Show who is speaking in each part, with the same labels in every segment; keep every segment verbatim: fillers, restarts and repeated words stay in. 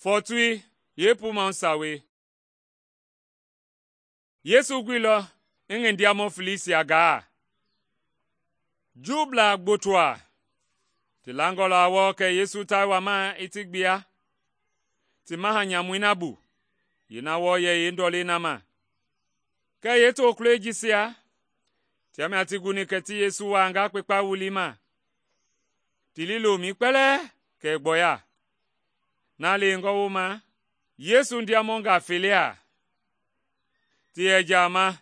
Speaker 1: Fɔɔtui yeepumau sawei. Yesu guilɔ i ngi ndiamɔ feleisia gaa. Juublaa gbotoa ti langɔ la wɔɔ kɛ Yesu ta wama i ti gbia, ti maha nyamui na bu, yeena wɔɔ yɛ yeendɔlei na ma. Kɛɛ yeetokulɔi jisia tia mia ti guni kɛ ti Yesu wuaanga kpekpa wulii ma, ti liilomɛi kpɛlɛɛ kɛ i gbɔya. Na leengɔ wooma, Yesu ndiamɔngaa felea ti yɛ jaama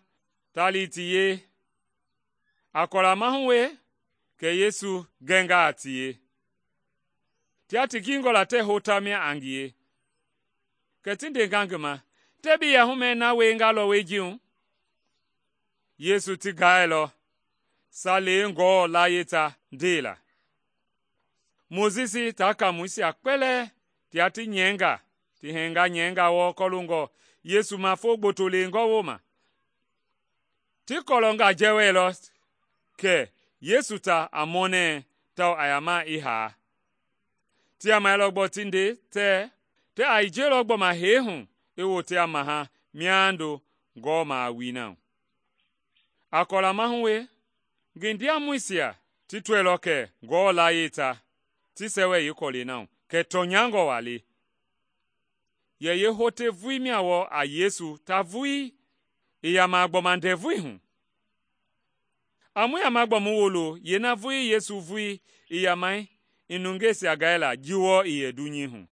Speaker 1: ta li ti yee. A kɔla mahu we kɛ Yesu gɛnga a tie. Tia ti gingɔ la tɛɛ hou tamia a ngie. Kɛ ti ndenga ngi ma, “Tɛɛ bi yahumɛɛ na wienga lɔwɔi ji hu?” Yesu ti gaailɔ Saleingɔɔ layie ta ndeela. Mojisi taa kamuisia kpɛlɛɛ tia ti nyɛinga ti hɛnga nyɛinga wɔɔ kɔloongɔ Yesu ma foo gboto leengɔ wooma. Ti kɔlɔnga jɛwɛilɔ kɛ Yesu ta a mɔnɛɛ tawao a yaama i haa. Ti yamailɔ gbɔɔ ti nde tɛɛ tɛɛ a hijelɔ gbɔma hee hu i wote a maha miando gɔɔma a wui na hu. A kɔla mahu we, ngi ndiamɔisia ti tɔɛilɔ kɛ Ngewɔ layie ta ti sɛwɛ yeekɔlɛi na hu, kɛ tɔnyangɔ waa le. Yɛ yeehote vulii mia wɔɔ a Yesu ta vulii i yama gbɔma ndɛvui hu. A mu yama gbɔ mu wolo yeena vulii Yesu vulii i yamai i nungeisia gɛila ji wɔɔ i yɛ dunyei hu.